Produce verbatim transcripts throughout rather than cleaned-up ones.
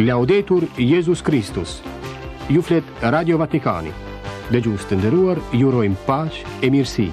Laudetur Jezus Kristus. Ju flet Radio Vatikani. Dëgjues të nderuar, ju urojmë paqe e mirësi.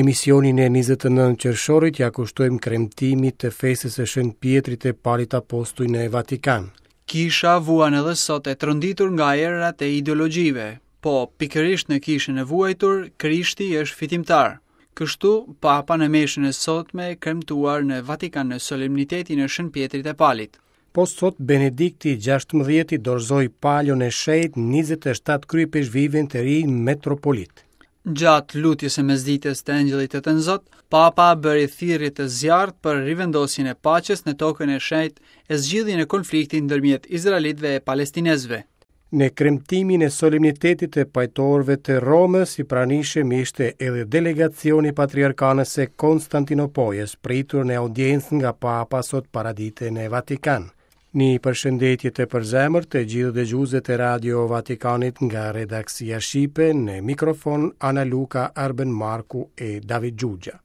Emisionin e njëzet e nëntë qershorit ja kushtojmë kremtimit të festës së Shën Pietrit e Palit Apostuj në Vatikan. Kisha vuan edhe sot e tronditur nga erërat e ideologjive, po pikërisht në kishën e vuajtur, Krishti është fitimtar. Kështu, Papa në meshën e sotme kremtuar në Vatikan në solemnitetin e Shën Pietrit e Palit. Po sot Benedikti gjashtëmbëdhjeti dorëzoi palon e shenjtë njëzet e shtatë kryepeshkvivën të ri metropolit. Gjatë lutjes së mesditës të Engjëllit të Tënzot, Papa bëri thirrje të zjarrt për rivendosjen e paqes në tokën e shenjtë e zgjidhjen e konfliktit ndërmjet izraelitëve e palestinezëve. Në kremtimin e solemnitetit të pajtorëve të Romës i pranishëm ishte edhe delegacioni patriarkanës së Konstantinopojës, pritur në audiencë nga Papa sot paradite në Vatikan. Një përshëndetje të përzemërt të gjithë dëgjuesve të Radio Vatikanit nga redaksia Shqipe, në mikrofon Ana Luka, Arben Marku e David Xhuxha.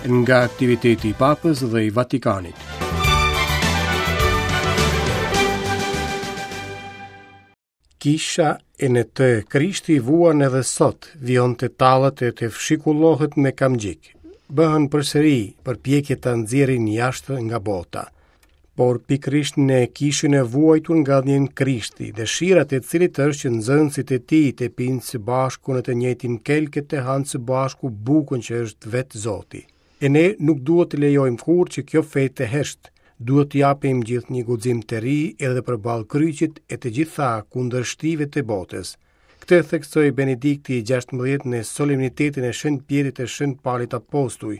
Nga aktiviteti i Papës dhe i Vatikanit. Kisha e në të Krishti vuan edhe sot, vijon të tallet e të fshikullohet me kamxhik. Bëhen përsëri përpjekje ta nxjerrin jashtë nga bota. Por pikërisht në kishën e vuajtur nga dhjen Krishti, dëshirat e cilit është që nxënësit e tij të pinë së bashku në të njëjtin kelk e të hanë së bashku bukën që është vetë Zoti. E ne nuk duhet të lejojmë kurrë që kjo fe të hesht, duhet të japim gjithë një guxim të ri edhe përballë kryqit e të gjitha kundërshtive të botës. Këtë theksoi Benedikti i gjashtëmbëdhjetë në solemnitetin e Shën Pietrit e Shën Palit Apostuj,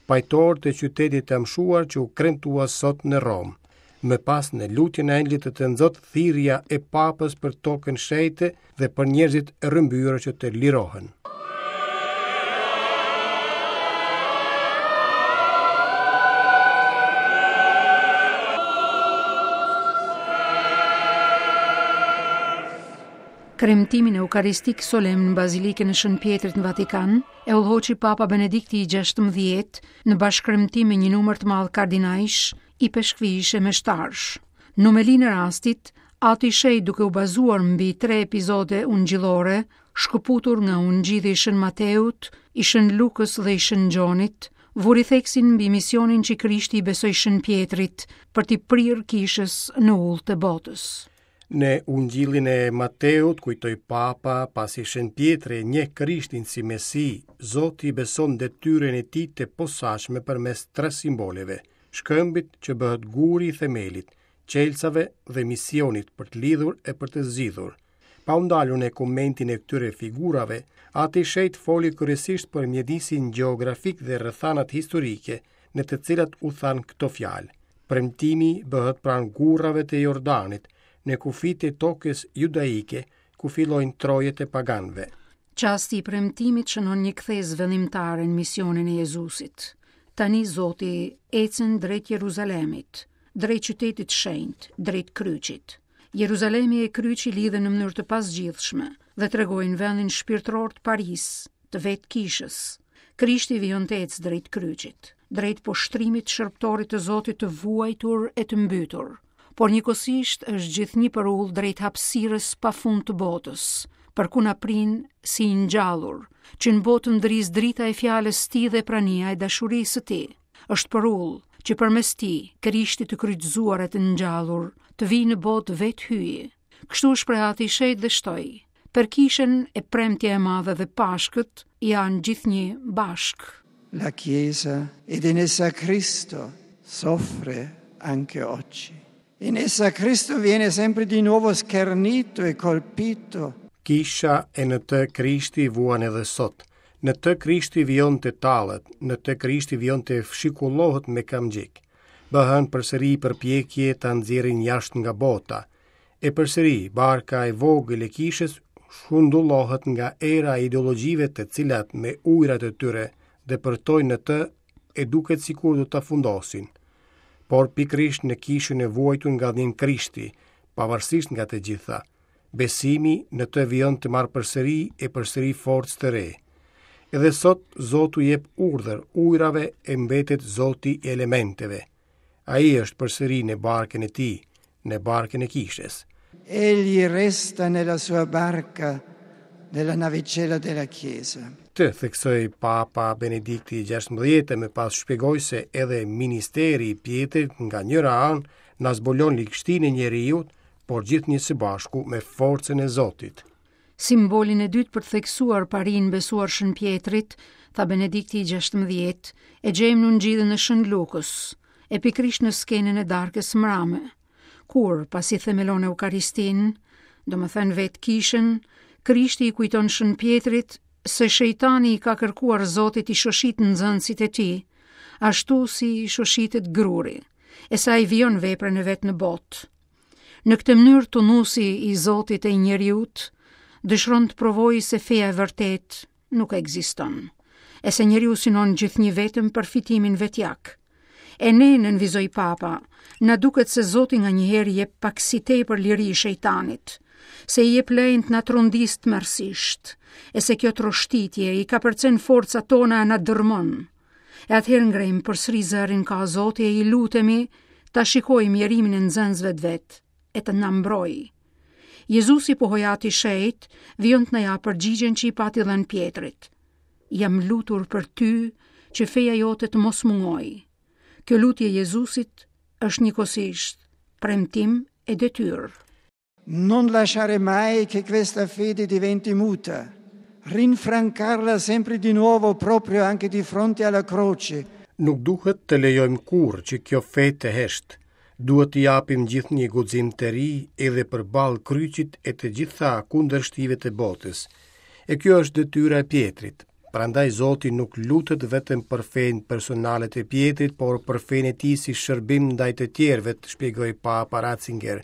pajtor të qytetit të amshuar që u kremtua sot në Romë. Më pas në lutjen e Engjëllit të Tënzot, thirrja e Papës për tokën shenjte dhe për njerëzit e rrëmbyer që të lirohen. Kremtimin eukaristik solemn në Bazilikën e Shën Pietrit në Vatikan e udhëhoqi Papa Benedikti i gjashtëmbëdhjetë në bashkëremtim me një numër të madh kardinajsh, i peshkvish e meshtarsh. Në homelinë e rastit, Ati i Shenjtë duke u bazuar mbi tre epizode ungjillore, shkëputur nga ungjilli i Shën Mateut, i Shën Lukës dhe i Shën Gjonit, vuri theksin mbi misionin që Krishti i besoi Shën Pietrit për t'i prirë kishës në ullë të botës. Në ungjillin e Mateut kujtoi Papa, pasi Shën Pietri njeh Krishtin si Mesi, Zoti i beson detyrën e tij të posaçme përmes tre simboleve: shkëmbit që bëhet guri i themelit, çelësave dhe misionit për të lidhur e për të zgjidhur. Pa u ndalur në komentin e këtyre figurave, Ati i Shenjtë foli kryesisht për mjedisin gjeografik dhe rrethanat historike në të cilat u thanë këto fjalë. Premtimi bëhet pranë gurrave të Jordanit, në kufit e tokës judaike, ku fillojnë trojet e paganëve. Çasti i premtimit shënon një kthesë vendimtare në misionin e Jezusit. Tani Zoti ecën drejt Jeruzalemit, drejt qytetit shenjt, drejt kryqit. Jeruzalemi e kryqi lidhen në mënyrë të pazgjidhshme dhe tregojnë vendin shpirtëror të Paris, të vetë kishës. Krishti vijon të ecë drejt kryqit, drejt poshtrimit shërbëtorit të Zotit të vuajtur e të mbytur, por njëkohësisht është gjithnjë për ullë drejt hapësirës pafund të botës, për ku na prin si i ngjallur, që në botë ndriz drita e fjalës tij dhe prania e dashurisë së tij. Është për ullë që përmes tij, Krishtit të kryqëzuar e të ngjallur, të vijë në botë vetë hyji. Kështu u shpreh Ati i Shenjtë dhe shtoi: Për kishën e premtja e madhe dhe Pashkët janë gjithnjë bashkë. La Chiesa ed in essa Cristo soffre anche oggi. In essa Cristo viene sempre di nuovo schernito e colpito. Kisha e në të Krishti vuan edhe sot. Në të Krishti vijon të tallet, në të Krishti vijon të fshikullohet me kamxhik. Bëhen përsëri përpjekje ta nxjerrin jashtë nga bota. E përsëri barka e vogël e kishës shundullohet nga era e ideologjive të cilat me ujrat e tyre depërtojnë në të e duket sikur do ta fundosin. Por pikërisht në kishën e vuajtur nga dhjen Krishti, pavarësisht nga të gjitha, besimi në të vijon të marrë përsëri e përsëri forcë të re. Edhe sot Zoti u jep urdhër ujrave e mbetet Zoti i elementeve. Ai është përsëri në barkën e tij, në barkën e kishës. Egli resta nella sua barca, nella navicella della Chiesa. Këtë theksoi Papa Benedikti gjashtëmbëdhjetë e më pas shpjegoi se edhe ministeri i Pjetrit nga njëra anë na zbulon ligështinë e njeriut, por gjithnjë së bashku me forcën e Zotit. Simbolin e dytë për të theksuar parinë besuar Shën Pjetrit, tha Benedikti i gjashtëmbëdhjetë, e gjejmë në Ungjillin e Shën Lukës, e pikërisht në skenën e darkës mrame, kur, pasi themelon Eukaristinë, domethënë vetë kishën, Krishti i kujton Shën Pjetrit se shejtani i ka kërkuar Zotit i shoshit nxënësit e tij, ashtu si i shoshitet gruri, e sa i vijon veprën e vet në botë. Në këtë mënyrë tunusi i Zotit e i njeriut dëshiron të provojë se feja e vërtetë nuk ekziston, e se njeriu synon gjithnjë vetëm për fitimin vetjak. E ne, nënvizoi Papa, na duket se Zoti nganjëherë i jep pak si tepër liri shejtanit, se i jep lejen të na trondis tmerrësisht, e se kjo troshtitje i kapërcen forcat tona e na dërmon. E atëherë ngrejmë përsëri zërin ka Zoti e i lutemi ta shikojmë mjerimin e nxënësve të vet e të na mbrojë. Jezusi pohoi Ati i Shenjtë, vijon të na japë përgjigjen që i pati dhënë Pjetrit. Jam lutur për ty që feja jote të mos mungojë. Kjo lutje e Jezusit është njëkohësisht premtim e detyrë. Non lasciare mai che questa fede diventi muta, rinfrancarla sempre di nuovo proprio anche di fronte alla croce. Nuk duhet të lejojmë kurrë që kjo fe të hesht. Duhet t'i japim gjithnjë guxim të ri edhe përballë kryqit e të gjitha kundërshtive të botës. E kjo është detyra e Pjetrit. Prandaj Zoti nuk lutet vetëm për fenë personale të Pjetrit, por për fenë e tij si shërbim ndaj të tjerëve, shpjegoi Papa Ratzinger.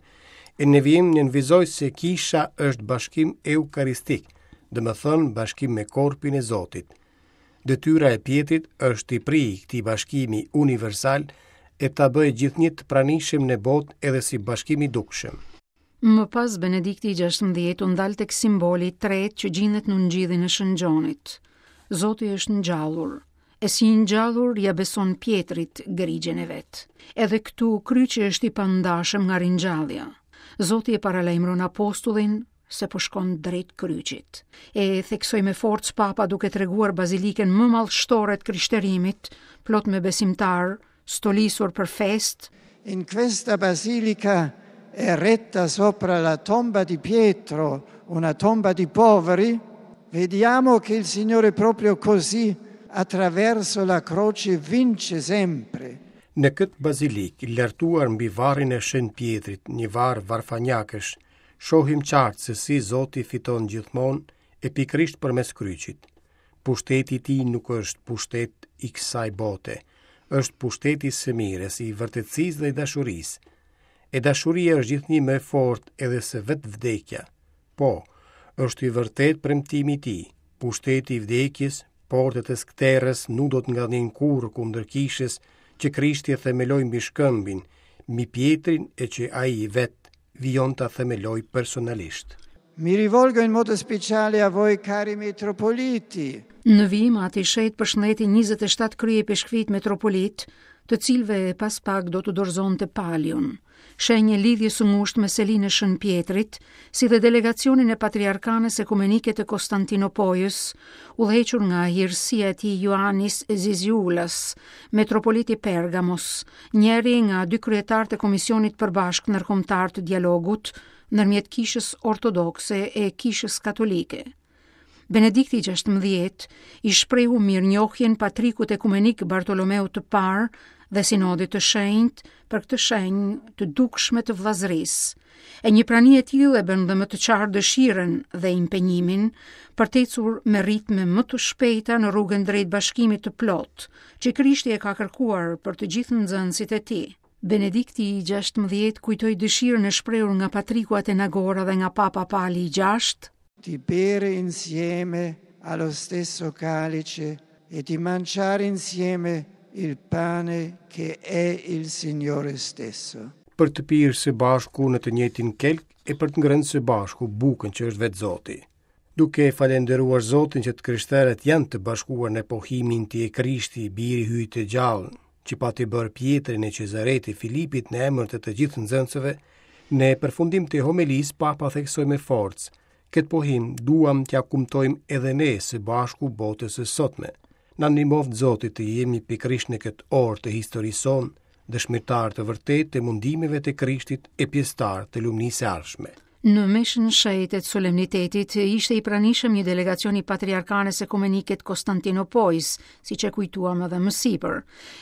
E në vijim nënvizoi se kisha është bashkim eukaristik, domethënë bashkim me korpin e Zotit. Detyra e Pjetrit është t'i prijë këtij bashkimi universal e ta bëjë gjithnjë të pranishëm në botë edhe si bashkim i dukshëm. Më pas Benedikti i gjashtëmbëdhjetë u ndal tek simboli i tretë që gjendet në Ungjillin e Shën Gjonit. Zoti është ngjallur, e si i ngjallur ja beson Pjetrit grigjen e vet. Edhe këtu kryqi është i pandashëm nga ringjallja. Zoti e paralajmëron apostullin se po shkon drejt kryqit. E theksoi me forcë Papa duke treguar bazilikën më madhështore të krishterimit, plot me besimtar, stolisur për fest. In questa basilica eretta sopra la tomba di Pietro, una tomba di poveri, vediamo che il Signore proprio così, attraverso la croce, vince sempre. Në këtë bazilik, lartuar mbi varrin e Shën Pjetrit, një varr varfanjakësh, shohim qartë se si Zoti fiton gjithmonë e pikërisht përmes kryqit. Pushteti i tij nuk është pushtet i kësaj bote, është pushteti i së mirës, i vërtetësisë dhe i dashurisë. E dashuria është gjithnjë më e fortë edhe se vetë vdekja. Po, është i vërtet premtimi i tij. Pushteti i vdekjes, portet e skëterrës nuk do të ngadhnin kurrë kundër kishës që Krishti e themeloi mbi shkëmbin, mbi Pjetrin e që ai vet vijon ta themeloj personalisht. Mi rivolgo in modo speciale a voi cari metropoliti. Në vijim Ati i Shenjtë përshëndeti njëzet e shtatë kryepeshkvit metropolit, të cilëve pas pak do të dorëzonte palion, shenjë e lidhjes së ngushtë me selinë e Shën Pjetrit, si dhe delegacionin e Patriarkanës Ekumenike të Konstantinopojës, udhëhequr nga hirësia e tij Ioannis Zizioulas, metropoliti Pergamos, njëri nga dy kryetarët e Komisionit Përbashkët Ndërkombëtar të Dialogut ndërmjet Kishës Ortodokse e Kishës Katolike. Benedikti i gjashtëmbëdhjetë i shprehu mirënjohjen patrikut ekumenik Bartolomeut të Parë dhe Sinodit të Shenjtë për këtë shenjë të dukshme të vëllazërisë. E një prani e tillë e bën dhe më të qartë dëshirën dhe impenjimin për të ecur me ritme më të shpejta në rrugën drejt bashkimit të plotë, që Krishti e ka kërkuar për të gjithë nxënësit e tij. Benedikti i gjashtëmbëdhjetë kujtoi dëshirën e shprehur nga Patriku Atenagora dhe nga Papa Pali i gjashtë, di bere insieme allo stesso calice e di mangiare insieme il pane che è il Signore stesso. Për të pirë së bashku në të njëjtin kelk e për të ngrënë së bashku bukën që është vetë Zoti. Duke falënderuar Zotin që të krishterët janë të bashkuar në pohimin ti e Krishti, biri Hyjit të gjallë, që pati bërë Pjetrin e Cezareti Filipit në emër të të gjithë nxënësve, në përfundim të homelisë Papa theksoi me forcë: këtë pohim duam t'ja kumtojmë edhe ne së bashku botës së sotme. Na ndihmoftë Zoti të jemi pikërisht në këtë orë të historisë sonë, dëshmitar të vërtetë të mundimeve të Krishtit e pjesëtar të lumnisë së ardhshme. Në meshën shenjtë të solemnitetit ishte i pranishëm një delegacion i Patriarkanës Ekumenike të Konstantinopojës, siç e kujtuam edhe më sipër.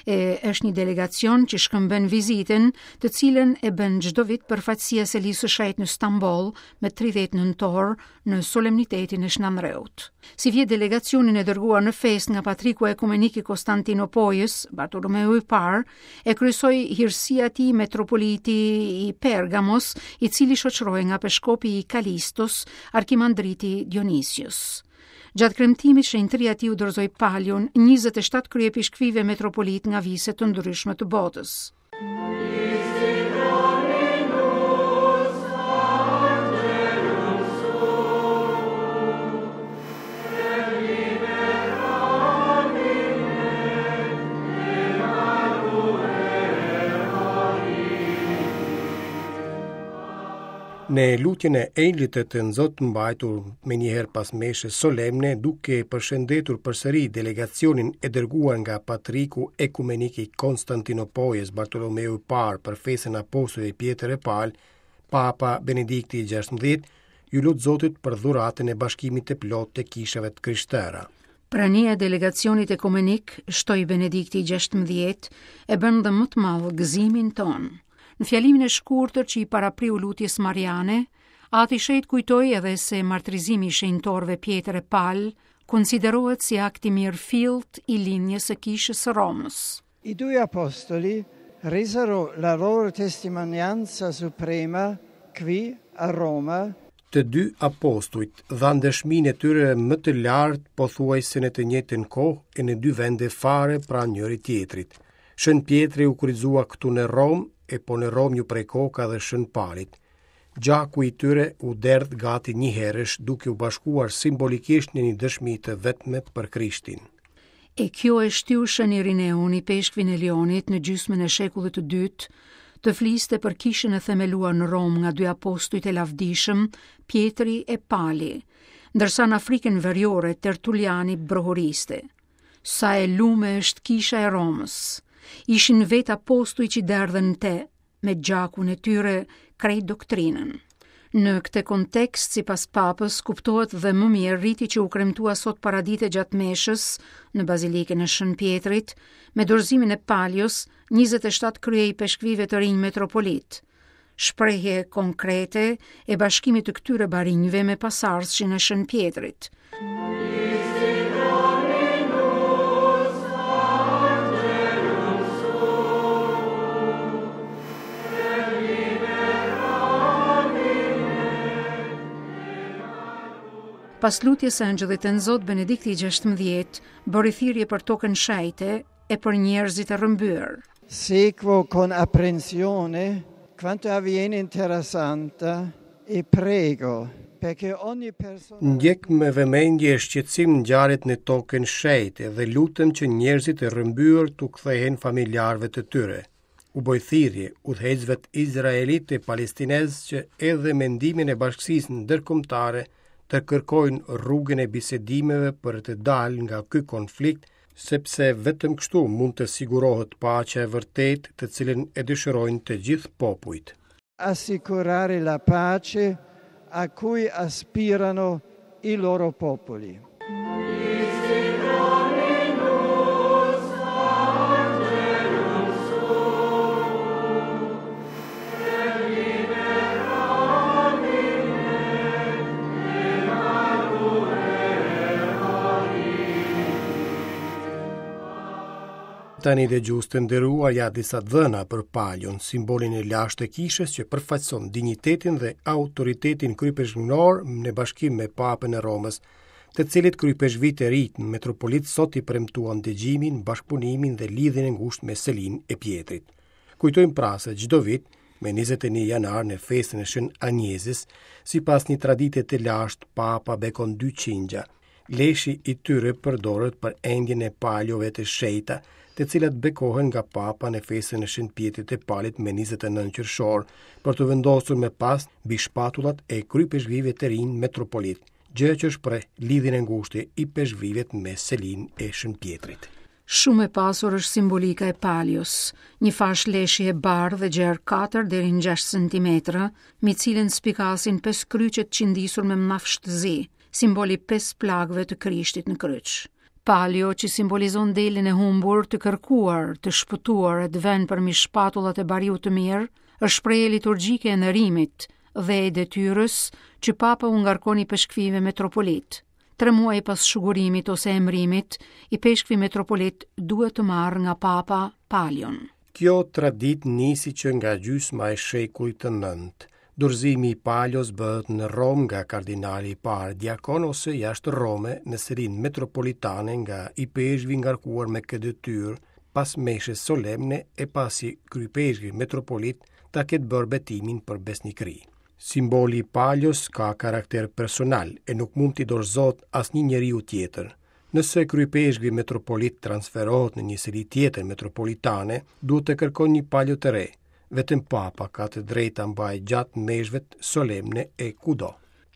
E është një delegacion që shkëmben vizitën, të cilën e bën çdo vit përfaqësia e Selisë së Shenjtë në Stamboll me tridhjetë nëntor në solemnitetin e Shën Andreut. Si vjet delegacionin e dërguar në fest nga Patriku Ekumenik i Konstantinopojës, Bartolomeu i Parë, e kryesoi hirësia e tij metropoliti i Pergamos, i cili shoqërohej nga peshkopi i Kalistos, arkimandriti Dionisios. Gjatë kremtimit, shenjtëria e tij u dorëzoi palion njëzet e shtatë kryepishkvive metropolit nga vise të ndryshme të botës. Në lutjen e Engjëllit të Tënzot mbajtur me njëherë pas meshës solemne, duke përshëndetur përsëri delegacionin e dërguar nga Patriku Ekumenik i Konstantinopojës Bartolomeu i Parë për festën apostujve Pjetër e Pal, Papa Benedikti i gjashtëmbëdhjetë ju lut Zotit për dhuratën e bashkimit të plotë të kishave të krishtera. Prania e delegacionit ekumenik, shtoi Benedikti i gjashtëmbëdhjetë, e bën dhe më të madh gëzimin ton. Në fjalimin e shkurtër që i parapriu lutjes Mariane, Ati Shenjt kujtoi edhe se martrizimi i shenjtorëve Pjetër e Pal konsiderohet si akt i mirëfillt i linjës së kishës së Romës. I due apostoli resero la loro testimonianza suprema qui a Roma. Të dy apostujt dhanë dëshminë e tyre më të lartë pothuajse në të njëjtën kohë e në dy vende fare pranë njëri tjetrit. Shën Pjetri u kryqëzua këtu në Romë, e po në Romë ju prej koka dhe Shën Palit. Gjaku i tyre u derdh gati njëherësh, duke u bashkuar simbolikisht në një dëshmi të vetme për Krishtin. E kjo e shtyu Shën Irineun, i peshkvin e Lionit, në gjysmën e shekullit të dytë, të fliste për kishën e themeluar në Romë nga dy apostujt e lavdishëm, Pjetri e Pali, ndërsa në Afrikën Veriore Tertuliani brohoriste: Sa e lume është kisha e Romës! Ishin vetë apostuj që derdhen te, me gjakun e tyre, krejt doktrinën. Në këtë kontekst, sipas papës, kuptohet dhe më mirë riti që u kremtua sot paradite gjatë meshës në Bazilikën e Shën Pjetrit, me dorëzimin e Palios, njëzet e shtatë krye i peshkvive të rinj metropolit. Shprehje konkrete e bashkimit të këtyre barinjve me pasardhësin e Shën Pjetrit. Pas lutjes së Engjëllit të Nzot, Benedikti i gjashtëmbëdhjetë bëri thirrje për tokën shenjte e për njerëzit e rrëmbyer. Seguo con apprensione quanto avviene in Terra Santa e prego perché ogni persona Ndjek me vëmendje e shqetësim ngjarjet në tokën shenjte dhe lutem që njerëzit e rrëmbyer t'u kthehen familjarëve të tyre. U bëj thirrje udhëheqësve izraelit e palestinez që edhe me ndihmën e bashkësisë ndërkombëtare të kërkojnë rrugën e bisedimeve për të dalë nga ky konflikt, sepse vetëm kështu mund të sigurohet paqja e vërtetë të cilën e dëshirojnë të gjithë popujt. Assicurare la pace a cui aspirano i loro popoli. Tani dëgjues të nderuar, ja disa dhëna për Palion, simbolin e lashtë të kishës që përfaqëson dinjitetin dhe autoritetin kryepeshkënor në bashkim me Papën e Romës, të cilit kryepeshkvit e ri metropolit sot i premtuan dëgjimin, bashkëpunimin dhe lidhjen e ngushtë me Selinë e Pjetrit. Kujtojmë pra se çdo vit Me njëzet e një janar në festën e Shën Anjezës, sipas një tradite të lashtë, Papa bekon dy qingja. Leshi i tyre përdoret për endjen e paljove të shenjta, të cilat bekohen nga Papa në festën e Shën Pjetrit të Palit me njëzet e nëntë qershor, për të vendosur më pas mbi shpatullat e kryepeshkvive të rinj metropolit, gjë që shpreh lidhjen e ngushtë i peshkvive me selinë e Shën Pjetrit. Shumë e pasur është simbolika e palios, një fashë leshi e bardhë dhe gjerë katër deri në gjashtë centimetra, me cilën spikasin pesë kryqet qindisur me mafsh të zi, simboli pesë plagëve të Krishtit në kryq. Palio që simbolizon delin e humbur, të kërkuar, të shpëtuar e të vënë përmi shpatullat e bariut të mirë, është shprehje liturgjike e nderimit dhe e detyrës që Papa u ngarkon i peshkvive metropolit. Tre muaj pas shugurimit ose emrimit, i peshkvi metropolit duhet të marrë nga Papa palion. Kjo traditë nisi që nga gjysma e shekullit të nëntë. Dorëzimi i palios bëhet në Romë nga kardinali i parë diakon ose jashtë Rome në serinë metropolitane nga i peshkvi ngarkuar me këtë detyrë pas meshës solemne e pasi kryepeshkvi metropolit ta ketë bërë betimin për besnikëri. Simboli i palios ka karakter personal e nuk mund t'i dorëzohet asnjë njeriu tjetër. Nëse kryepeshkvi metropolit transferohet në një seri tjetër metropolitane, duhet të kërkojë një palio të re. Vetëm Papa ka të drejtë ta mbajë gjatë meshëve solemne e kudo.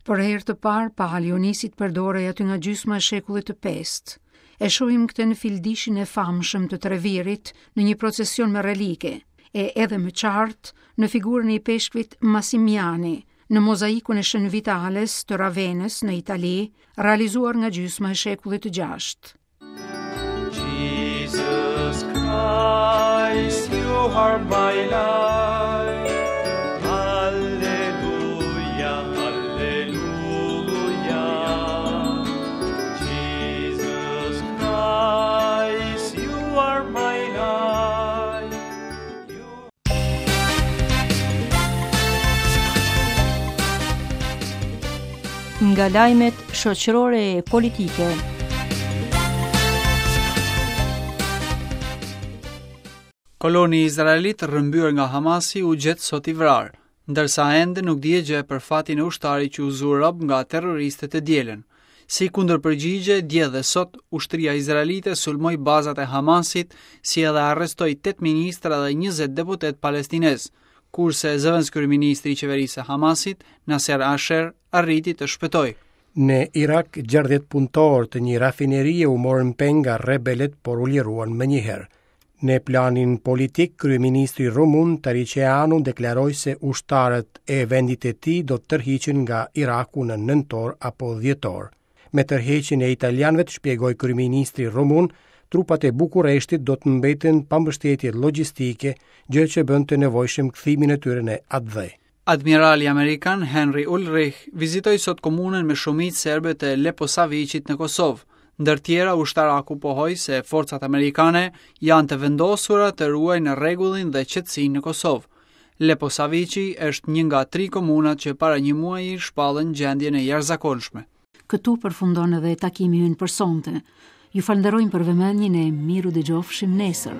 Për herë të parë, palio nisi të përdorej aty nga gjysma e shekullit të pestë. E shohim këtë në fildishin e famshëm të Trevirit në një procesion me relike, e edhe më qartë në figurën e ipeshkvit Massimiani, në mozaikun e Shën Vitales të Ravenës në Itali, realizuar nga gjysma e shekullit të gjashtë. Jesus Christ, you are my life. Alleluia, alleluia. Jesus Christ, you are my life. Nga lajmet shoqërore e politike. Koloni izraelit rrëmbyer nga Hamasi u gjet sot i vrarë, ndërsa ende nuk dihet gjë për fatin e ushtarit që u zu rob nga terroristët e dielën. Si kundërpërgjigje, dje dhe sot, ushtria izraelite sulmoi bazat e Hamasit, si edhe arrestoi tetë ministra dhe njëzet deputet palestinez, kurse zëvendëskryeministri i qeverisë së Hamasit, Nasser Asher, arriti të shpëtojë. Në Irak, gjashtëdhjetë punëtorë të një rafinerie u morën peng nga rebelët, por u liruan menjëherë. Në planin politik, kryeministri rumun Tariceanu deklaroi se ushtarët e vendit të tij do të tërhiqen nga Iraku në nëntor apo dhjetor. Me tërheqjen e italianëve, shpjegoi kryeministri rumun, trupat e Bukureshtit do të mbeten pa mbështetje logjistike, gjë që bën të nevojshëm kthimin e tyre në atdhe. Admirali amerikan Henry Ulrich vizitoi sot komunën me shumicë serbe të Leposaviqit në Kosovë. Ndër tjera, ushtaraku pohoi se forcat amerikane janë të vendosura të ruajnë rregullin dhe qetësinë në Kosovë. Leposaviqi është një nga tri komunat që para një muaji shpallën gjendjen e jashtëzakonshme. Këtu përfundon edhe takimi ynë për sonte. Ju falënderojmë për vëmendjen e miru dëgjofshim nesër.